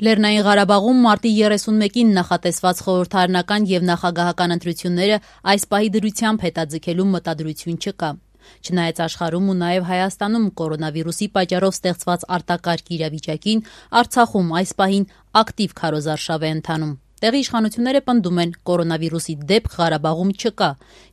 Լեռնային Ղարաբաղում մարտի 31-ին նախատեսված խորհրդարանական եւ նախագահական ընտրությունները այս պահի դրությամբ հետաձգելու մտադրություն չկա։ Չնայած աշխարհում ու նաեւ Հայաստանում կորոնավիրուսի պատճառով ստեղծված արտակարգ իրավիճակին, Արցախում այս պահին ակտիվ քարոզարշավ է ընթանում։ Տեղի իշխանությունները պնդում են, կորոնավիրուսի դեպք Ղարաբաղում չկա,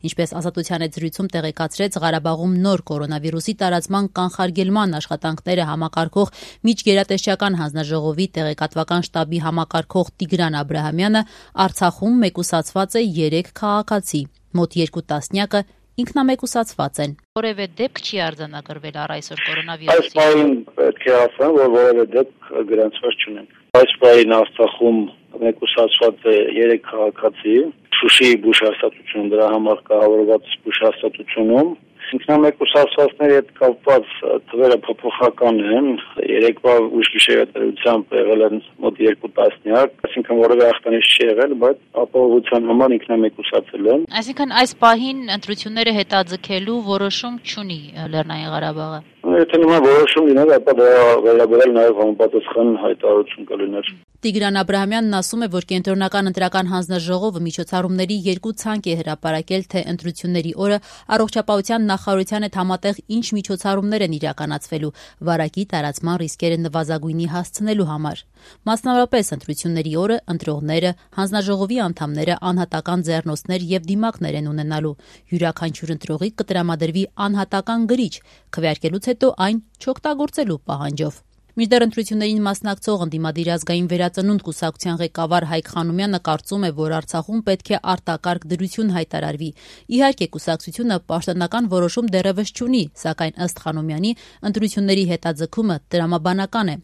ինչպես Ազատության հետ զրույցում տեղեկացրեց Ղարաբաղում նոր կորոնավիրուսի տարածման կանխարգելման աշխատանքները համակարգող միջգերատեսչական հանձնաժողովի տեղեկատվական շտաբի համակարգող Տիգրան Աբրահամյանը, Արցախում մեկուսացված է 3 քաղաքացի, մոտ 2 տասնյակը ինքնամեկուսացված են։ Որևէ դեպք չի արձանագրվել առ այսօր կորոնավիրուսի։ Այս պահին պետք է ասեմ, որ որևէ դեպք գրանցված չունեն։ Այս պահին Արցախում մեկուսացված է 3 քաղաքացի, Շուշիի բուժհաստատությունում, դրա համար կառավարված բուժհաստատությունում։ Ինքնամեկուսացվածների հետ կապված թվերը փոփոխական են, երեկվա ուշ գիշերատեսությամբ եղել են մոտ 2 տասնյակ, այսինքն որևէ ախտանիշ չի եղել, բայց ապահովության համար ինքնամեկուսացել են։ Այսինքն այս պահին ընտրությունները հետաձգելու որոշում չունի Լեռնային Ղարաբաղը։ Եթե նման որոշում լիներ, ապա դրա վերաբերյալ նաև համապատասխան հայտարարություն կլիներ։ Տիգրան Աբրահամյանն ասում է, որ Կենտրոնական ընտրական հանձնաժողովը միջոցառումների 2 ցանկ է հրապարակել, թե ընտրությունների օրը առողջապահության նախարարության հետ համատեղ ինչ միջոցառումներ են իրականացվելու վարակի տարածման ռիսկերը նվազագույնի հասցնելու համար։ Մասնավորապես ընտրությունների օրը ընտրողները, հանձնաժողովի անդամները անհատական ձեռնոցներ եւ դիմակներ են ունենալու։ Յուրաքանչյուր ընտրողի կտրամադրվի անհատական գրիչ, քվեարկելուց հետո այն չօգտագործելու պահանջով։ Մինչդեռ ընտրություններին մասնակցող ընդդիմադիր ազգային վերածնունդ կուսակցության ղեկավար Հայկ Խանոմյանը կարծում է, որ Արցախում պետք է արտակարգ դրություն հայտարարվի։ Իհարկե, կուսակցությունը պաշտոնական որոշում դեռևս չունի, սակայն ըստ Խանոմյանի ընտրությունների հետաձգումը տրամաբանական է։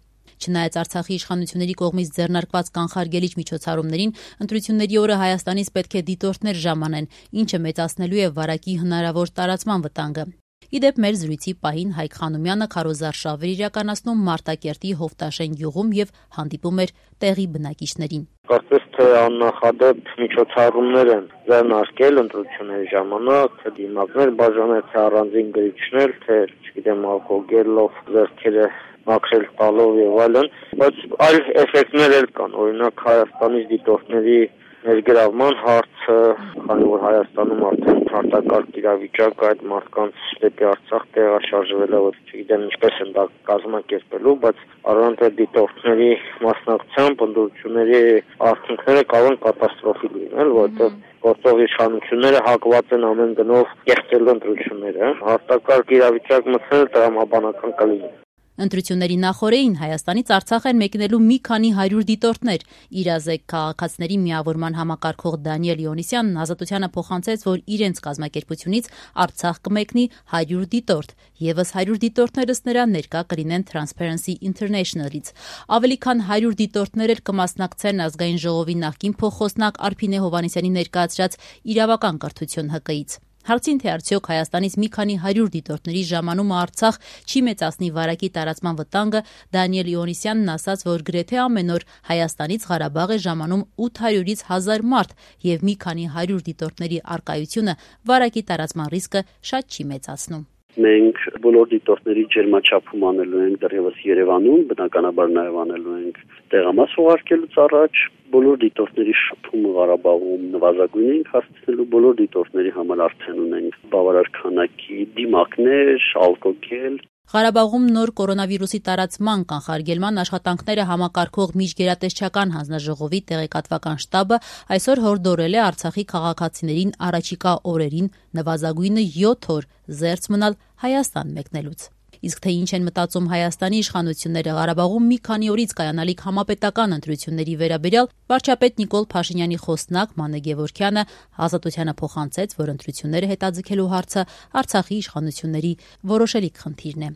Չնայած Արցախի իշխանությունների կողմից ձեռնարկված կանխարգելիչ միջոցառումներին, ընտրությունների օրը Հայաստանից պետք է դիտորդներ ժամանեն, ինչը մեծացնելու է վարակի հնարավոր տարածման վտանգը։ Իդեպ մեր զրույցի պահին Հայկ Խանոմյանը քարոզարշավ էր իրականացնում Մարտակերտի Հովտաշեն գյուղում եւ հանդիպում էր տեղի բնակիչներին։ Կարծես թե աննախադեպ միջոցառումներ են ձեռնարկել ընտրությունների ժամանակ, թե դիմակներ բաժանել, թե առանձին գրիչներ, թե չգիտեմ ալկոգելով ձեռքերը մաքրել տալով եւ այլն, բայց այլ էֆեկտներ էլ կան, օրինակ Հայաստանից դիտորդների ներգրավման հարցը, քանի որ Հայաստանում արդեն արտակարգ իրավիճակ այդ մարդկանց դեպի Արցախ տեղաշարժվել է, որ չգիտեմ ինչպես են դա կազմակերպելու, բայց առանց դիտորդների մասնակցությամբ ընտրությունների արդյունքները կարող են կատաստրոֆիկ լինել, որովհետեւ գործող իշխանությունները հակված են ամեն գնով կեղծել ընտրությունները, արտակարգ իրավիճակ մտցնել տրամաբանական կլինի։ Ընտրությունների նախօրեին Հայաստանից Արցախ են մեկնելու մի քանի 100 դիտորդներ։ Իրազեկ քաղաքացիների միավորման համակարգող Դանիել Իոնիսյանն Ազատությանը փոխանցեց, որ իրենց կազմակերպությունից Արցախ կմեկնի 100 դիտորդ, եւս 100 դիտորդներ ըստ նրա ներկա կլինեն Transparency International-ից։ Ավելի քան 100 դիտորդներ էլ կմասնակցեն ազգային ժողովի նախկին փոխխոսնակ Արփինե Հովհաննիսյանի ներկայացրած իրավական կրթություն ՀԿ-ից։ Հարցին, թե արդյոք Հայաստանից մի քանի 100 դիտորդների ժամանումը Արցախ չի մեծացնի վարակի տարածման վտանգը, Դանիել Իոնիսյանն ասաց, որ գրեթե ամեն օր Հայաստանից Ղարաբաղ է ժամանում 800-ից 1000 մարդ եւ մի քանի 100 դիտորդների առկայությունը վարակի տարածման ռիսկը շատ չի մեծացնում։ Մենք բոլոր դիտորդների ջերմաչափում անելու ենք դեռևս Երևանում, բնականաբար նաև անելու ենք տեղամաս ուղարկելուց առաջ, բոլոր դիտորդների շփումը Ղարաբաղում նվազագույն ենք հասցնելու, բոլոր դիտորդների համար արդեն ունենք բավարար քանակի դիմակներ, ալկոգել։ Ղարաբաղում նոր կորոնավիրուսի տարածման կանխարգելման աշխատանքները համակարգող միջգերատեսչական հանձնաժողովի տեղեկատվական շտաբը այսօր հորդորել է Արցախի քաղաքացիներին առաջիկա օրերին նվազագույնը 7 օր զերծ մնալ Հայաստան մեկնելուց։ Իսկ թե ինչ են մտածում Հայաստանի իշխանությունները Ղարաբաղում մի քանի օրից կայանալիք համապետական ընտրությունների վերաբերյալ, վարչապետ Նիկոլ Փաշինյանի խոսնակ Մանե Գևորգյանը Ազատությանը փոխանցեց, որ ընտրությունները հետաձգելու հարցը Արցախի իշխանությունների որոշելիք խնդիրն է։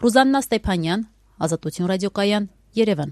Ռուզաննա Ստեփանյան, Ազատություն ռադիոկայան, Երևան։